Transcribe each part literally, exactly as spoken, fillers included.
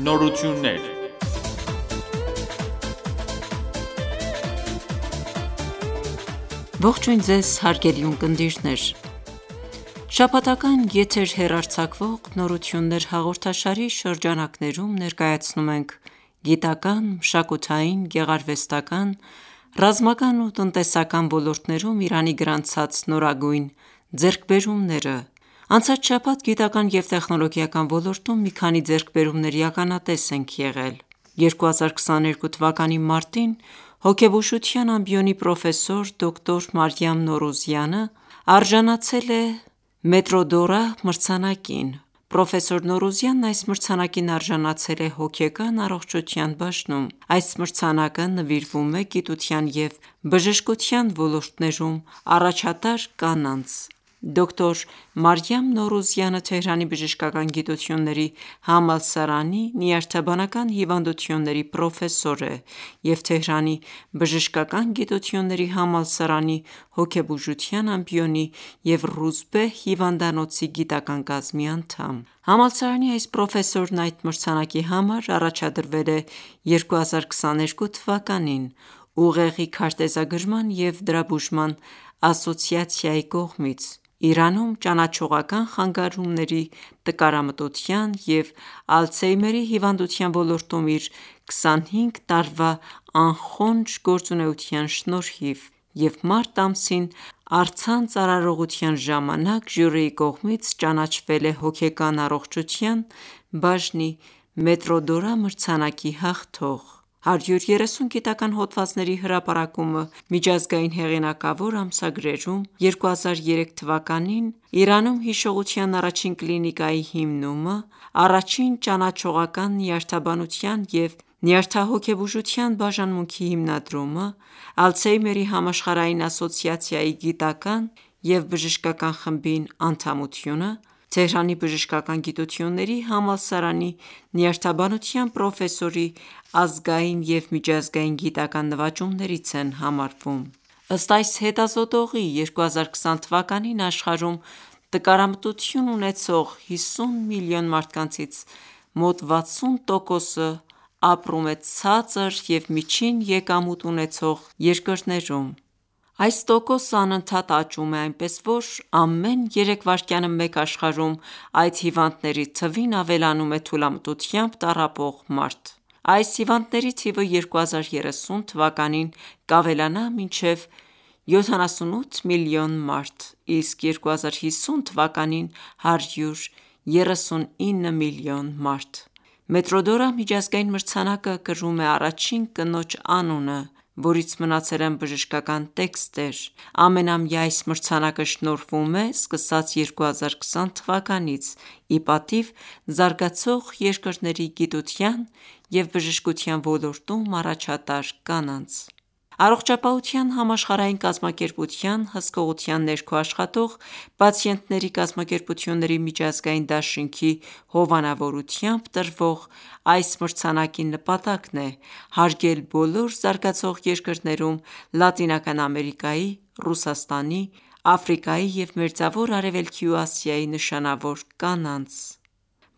Նորություններ։ Ողջույն ձեզ հարգելի ունկնդիրներ: Շաբաթական եթեր հեռարձակվող «Նորություններ» հաղորդաշարի շրջանակներում ներկայացնում ենք գիտական, մշակութային, գեղարվեստական, ռազմական ու տնտեսական ոլորտներում Իրանի գրանցած նորագույն ձեռքբերումները: Անցած շաբաթ գիտական և տեխնոլոգիական ոլորտում մի քանի ձեռքբերումների ականատես ենք եղել: երկու հազար քսաներկու թվականի մարտին հոգեբուժության ամբիոնի պրոֆեսոր դոկտոր Մարիամ Նորուզյանը արժանացել է «Մետրոդորա» մրցանակին: Պրոֆեսոր Նորուզյանն այս մրցանակին արժանացել է հոգեկան առողջության բաժնում: Այս մրցանակը նվիրվում է գիտության և բժշկության ոլորտներում առաջատար կանանց: Դոկտոր Մարիամ Նորուզյանը Թեհրանի բժշկական գիտությունների համալսարանի նյարդաբանական հիվանդությունների պրոֆեսոր է և Թեհրանի բժշկական գիտությունների համալսարանի հոգեբուժության ամբիոնի և «Ռուզբեհ» հիվանդանոցի գիտական կազմի անդամ: Համալսարանի այս պրոֆեսորն այդ մրցանակի համար առաջադրվել է երկու հազար քսաներկու թվականին «Ուղեղի քարտեզագրման և դրա բուժման ասոցիացիա»-ի կողմից: Իրանում ճանաչողական խանգարումների, տկարամտության և Ալցհեյմերի հիվանդության ոլորտում իր քսանհինգ տարվա անխոնջ գործունեության շնորհիվ և մարտ ամսին առցանց արարողության ժամանակ ժյուրիի կողմից ճանաչվել է հոգեկան առողջության բաժնի «Մետրոդորա» մրցանակի հաղթող: հարյուր երեսուն գիտական հոդվածների հրապարակումը միջազգային հեղինակավոր ամսագրերում, երկու հազար երեք թվականին Իրանում հիշողության առաջին կլինիկայի հիմնումը, առաջին ճանաչողական նյարդաբանության և նյարդահոգեբուժության բաժանմունքի հիմնադրումը, Ալցհեյմերի համաշխարհային ասոցիացիայի գիտական և բժշկական խմբին անդամությունը, Թեհրանի բժշկական գիտությունների համալսարանի նյարդաբանության պրոֆեսորի ազգային և միջազգային գիտական նվաճումներից են համարվում: Ըստ այս հետազոտողի երկու հազար քսան թվականին աշխարհում տկարամտություն ունեցող հիսուն միլիոն մարդկանցից մոտ վաթսուն տոկոսը ապրում է ցածր և միջին եկամուտ ունեցող երկրներում: Այս տոկոսը անընդհատ աճում է, այնպես որ ամեն երեք վայրկյանը մեկ աշխարհում այդ հիվանդների թվին ավելանում է թուլամտությամբ տառապող մարդ: Այս հիվանդների թիվը երկու հազար երեսուն թվականին կավելանա մինչև յոթանասունութ միլիոն մարդ, իսկ երկու հազար հիսուն թվականին հարյուր երեսունինը միլիոն մարդ: «Մետրոդորա» միջազգային մրցանակը կրում է առաջին կնոջ անունը, որից մնացել են բժշկական տեքստեր: Ամենամյա այս մրցանակը շնորհվում է սկսած երկու հազար քսան թվականից ի պատիվ զարգացող երկրների գիտության և բժշկության ոլորտում առաջատար կանանց: Առողջապահության համաշխարհային կազմակերպության հսկողության ներքո աշխատող պացիենտների կազմակերպությունների միջազգային դաշինքի հովանավորությամբ տրվող այս մրցանակի նպատակն է հարգել բոլոր զարգացող երկրներում Լատինական Ամերիկայի, Ռուսաստանի, Աֆրիկայի և Մերձավոր Արևելքի ու Ասիայի նշանավոր կանանց,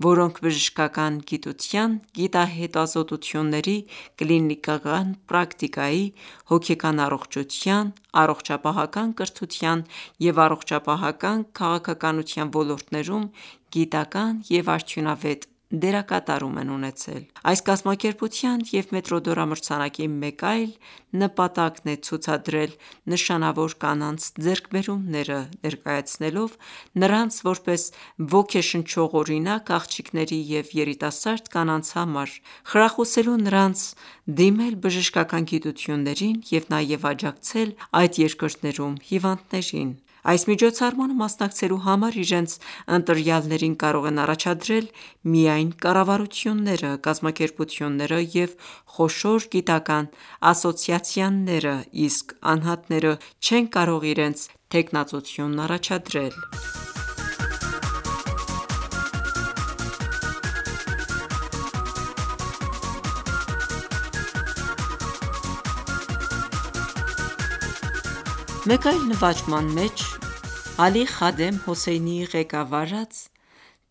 որոնք բժշկական գիտության, գիտահետազոտությունների, կլինիկական պրակտիկայի, հոգեկան առողջության, առողջապահական կրթության և առողջապահական քաղաքականության ոլորտներում գիտական և արդյունավետ դերակատարում են ունեցել: Այս կազմակերպության և «Մետրոդորա» մրցանակի մեկ այլ նպատակն է ցուցադրել նշանավոր կանանց ձեռքբերումները, ներկայացնելով նրանց որպես ոգեշնչող օրինակ աղջիկների և երիտասարդ կանանց համար, խրախուսելու նրանց դիմել բժշկական գիտություններին և նաև աջակցել այդ երկրներում հիվանդներին: Այս միջոցառմանը մասնակցելու համար իրենց ընտրյալներին կարող են առաջադրել միայն կառավարությունները, կազմակերպությունները և խոշոր գիտական ասոցիացիաները, իսկ անհատները չեն կարող իրենց թեկնածությունն առաջադրել: Մեկ այլ նվաճման մեջ Ալի Խադեմ Հոսեյնիի ղեկավարած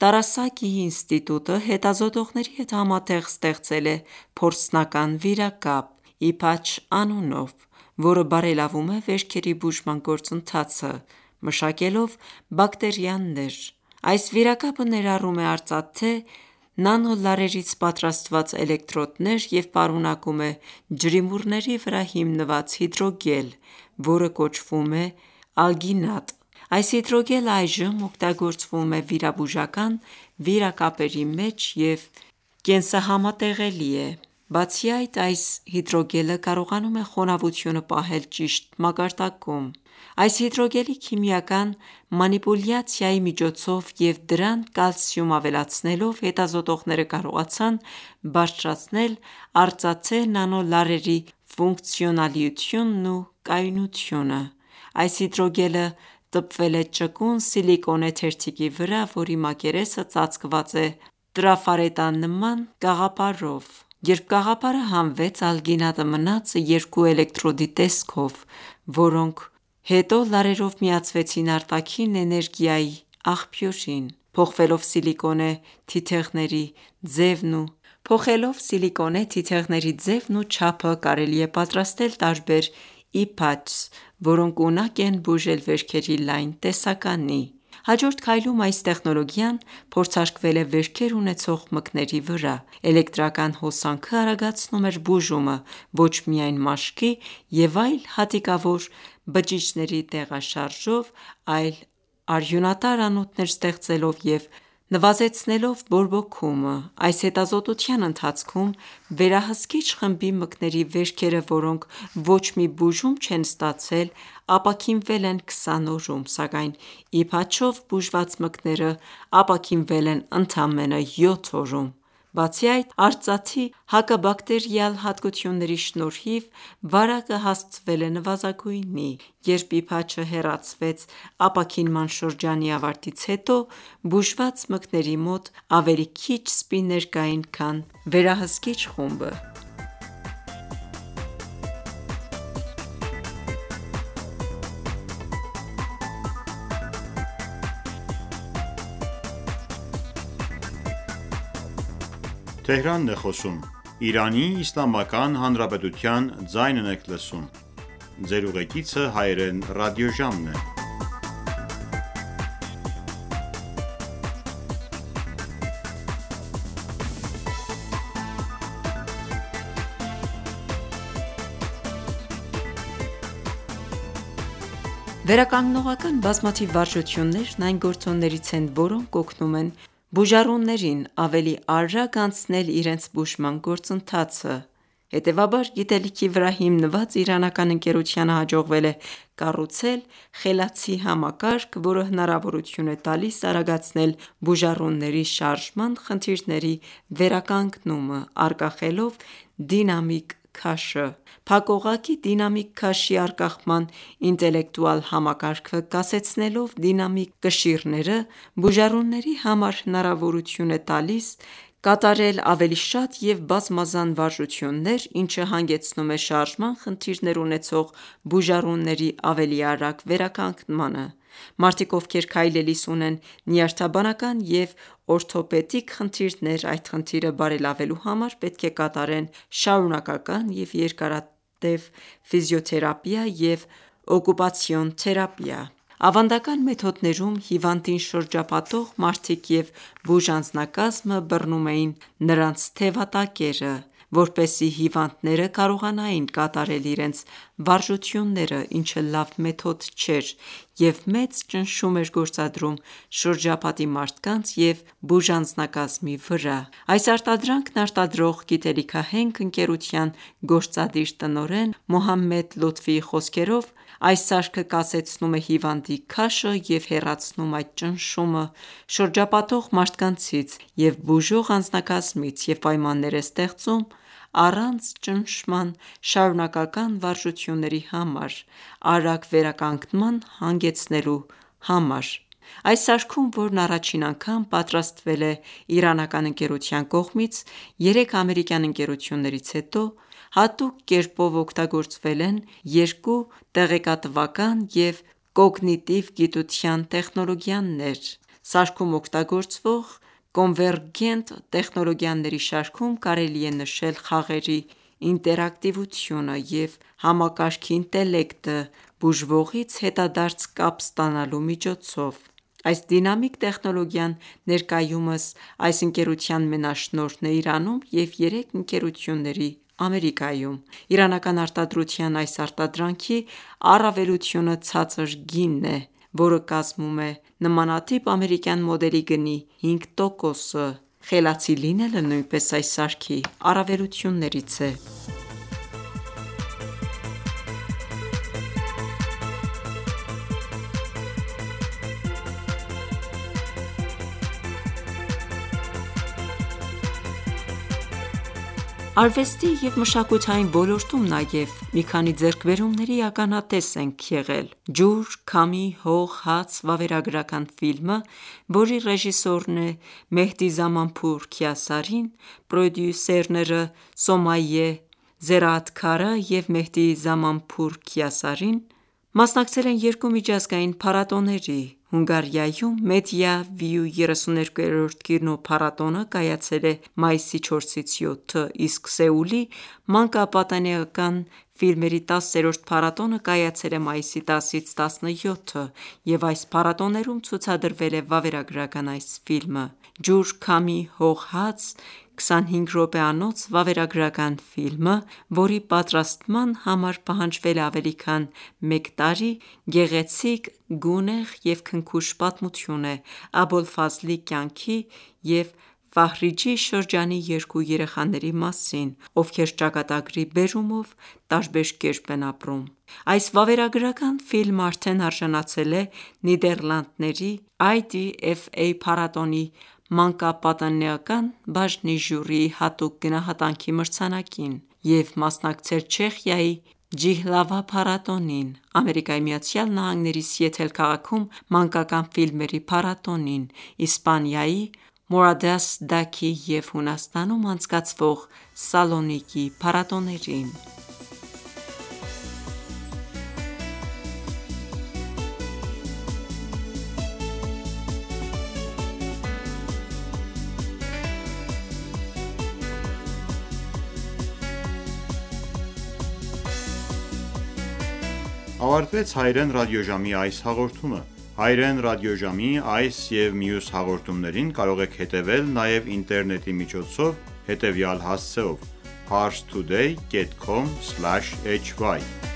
Տարասակի ինստիտուտը հետազոտողների հետ համատեղ ստեղծել է փորձնական վիրակապ (Իփաչ անունով), որը բարելավում է վերքերի բուժման գործընթացը, մշակելով բակտերիաներ: Այս վիրակապը ներառում է արծաթե նանոլարերից պատրաստված էլեկտրոդներ և պարունակում է ջրիմուռների վրա հիմնված հիդրոգել, որը կոչվում է ալգինատ: Այս հիդրոգելը այժմ օգտագործվում է վիրաբուժական վիրակապերի մեջ և կենսահամատեղելի է: Բացի այդ, այս հիդրոգելը կարողանում է խոնավությունը պահել ճիշտ մակարդակում: Այս հիդրոգելի քիմիական մանիպուլյացիայի միջոցով և դրան կալցիում ավելացնելով, հետազոտողները կարողացան բարձրացնել արծաթե նանոլարերի ֆունկցիոնալիությունն ու կայունությունը: Այս հիդրոգելը տպվել է ճկուն սիլիկոնե թերթիկի վրա, որի մակերեսը ծածկված է տրաֆարետանման կաղապարով: Երբ կաղապարը հանվեց, ալգինատը մնաց երկու էլեկտրոդի տեսքով, որոնք հետո լարերով միացվեցին արտաքին էներգիայի աղբյուրին: Փոխվելով սիլիկոնե թիթեղների ձևն ու չափը, կարելի է պատրաստել տարբեր Իփաչս, որոնք ունակ են բուժել վերքերի լայն տեսականի: Հաջորդ քայլում այս տեխնոլոգիան փորձարկվել է վերքեր ունեցող մկների վրա: Էլեկտրական հոսանքը արագացնում էր բուժումը ոչ միայն մաշկի և այլ հատիկավոր բջիջների տեղաշարժով, այլ արյունատար անոթներ ստեղծելով և նվազեցնելով բորբոքումը: Այս հետազոտության ընթացքում վերահսկիչ խմբի մկների վերքերը, որոնք ոչ մի բուժում չեն ստացել, ապաքինվել են քսան օրում, սակայն Իփաչով բուժված մկները ապաքինվել են ընդամենը յոթ օրում: Բացի այդ, արծաթի հակաբակտերիալ հատկությունների շնորհիվ վարակը հասցվել է նվազագույնի: Երբ Իփաչը հեռացվեց ապաքինման շրջանի ավարտից հետո, բուժված մկների մոտ ավելի քիչ սպիներ կային, քան վերահսկիչ խումբը: Վերականգնողական բազմաթիվ վարժություններն այն գործոններից են, որոնք օգնում են բուժառուներին ավելի արագ անցնել իրենց բուժման գործընթացը: Հետևաբար, գիտելիքի վրա հիմնված իրանական ընկերությանը հաջողվել է կառուցել խելացի համակարգ, որը հնարավորություն է տալիս արագացնել բուժառուների շարժման խնդիրների վերականգնումը՝ արգախելով դինամիկ քաշը: Փակուղղակի դինամիկ քաշի արգախման ինտելեկտուալ համակարգը կասեցնելով դինամիկ կշիռները, բուժառուների համար հնարավորություն է տալիս կատարել ավելի շատ և բազմազան վարժություններ, ինչը հանգեցնում է շարժման խնդիրներ ունեցող բուժառուների ավելի արագ վերականգնմանը: Մարդիկ, ովքեր քայլելիս ունեն նյարդաբանական և օրթոպեդիկ խնդիրներ, այդ խնդիրը բարելավելու համար պետք է կատարեն շարունակական և երկարատև ֆիզիոթերապիա և օկուպացիոն թերապիա: Ավանդական մեթոդներում հիվանդին շրջապատող մարդիկ և բուժանձնակազմը բռնում էին նրանց թևատակերը, որպեսզի հիվանդները կարողանային կատարել իրենց վարժությունները, ինչը լավ մեթոդ չէր և մեծ ճնշում էր գործադրում շրջապատի մարդկանց և բուժանձնակազմի վրա: Այս արտադրանքն արտադրող գիտելիքահենք ընկերության գործադիր տնօրեն Մոհամմեդ Լոթֆիի խոսքերով, այս սարքը կասեցնում է հիվանդի քաշը և հեռացնում այդ ճնշումը շրջապատող մարդկանցից և բուժող անձնակազմից և պայմաններ է ստեղծում առանց ճնշման շարունակական վարժությունների համար արագ վերականգնման հանգեցնելու համար: Այս սարքում, որն առաջին անգամ պատրաստվել է իրանական ընկերության կողմից, երեք ամերիկյան ընկերություններից հետո, հատուկ կերպով օգտագործվել են երկու տեղեկատվական և կոգնիտիվ գիտության տեխնոլոգիաներ: Սարքում օգտագործվող կոնվերգենտ տեխնոլոգիաների շարքում կարելի է նշել խաղերի ինտերակտիվությունը և համակարգի ինտելեկտը բուժվողից հետադարձ կապ ստանալու միջոցով: Այս դինամիկ տեխնոլոգիան ներկայումս այս ընկերության մենաշնորհն է Իրանում և երեք ընկերությունների Ամերիկայում: Իրանական արտադրության այս արտադրանքի առավելությունը ցածր գինն է, որը կազմում է նմանատիպ ամերիկյան մոդելի գնի հինգ տոկոսը: Խելացի լինելը նույնպես այս սարքի առավելություններից է: Արվեստի և մշակութային ոլորտում նաև մի քանի ձեռքբերումների ականատես ենք եղել: «Ջուր, քամի, հող, հաց» վավերագրական ֆիլմը, որի ռեժիսորն է Մեհդի Զամանփուր Քիասարին, պրոդյուսերները Սոմայե Զերաաթքարը և Մեհդի Զամանփուր Քիասարին, մասնակցել են երկու միջազգային փառատոների: Հունգարիայում Media View երեսուներկուերորդ կինոփառատոնը կայացել է մայիսի չորսից յոթը, իսկ Սեուլի մանկապատանեկան ֆիլմերի տասերորդ փառատոնը կայացել է մայիսի տասից տասնյոթը և այս փառատոներում ցուցադրվել է վավերագրական այս ֆիլմը: «Ջուր, քամի, հող, հաց» քսանհինգ րոպեանոց վավերագրական ֆիլմը, որի պատրաստման համար պահանջվել է ավելի քան մեկ տարի, գեղեցիկ, գունեղ և քնքուշ պատմություն է Աբոլֆազլի կյանքի և Ֆահրիջի շրջանի երկու երեխաների մասին, ովքեր ճակատագրի բերումով տարբեր կերպ են ապրում: Այս վավերագրական ֆիլմը արդեն արժանացել է Նիդեռլանդների I D F A փառատոնի մանկապատանեկան բաժնի ժյուրիի հատուկ գնահատանքի մրցանակին և մասնակցել Չեխիայի Ջիհլավա փառատոնին, ԱՄՆ-ի Սիեթլ քաղաքում մանկական ֆիլմերի փառատոնին, Իսպանիայի Մորադաս-Դաքի և Հունաստանում անցկացվող Սալոնիկի փառատոներին: Ավարտվեց հայրեն ռադիոժամի այս հաղորդումը: Հայրեն ռադիոժամի այս և մյուս հաղորդումներին կարող եք հետևել նաև ինտերնետի միջոցով հետևյալ հասցեով՝ Parstoday dot com slash hy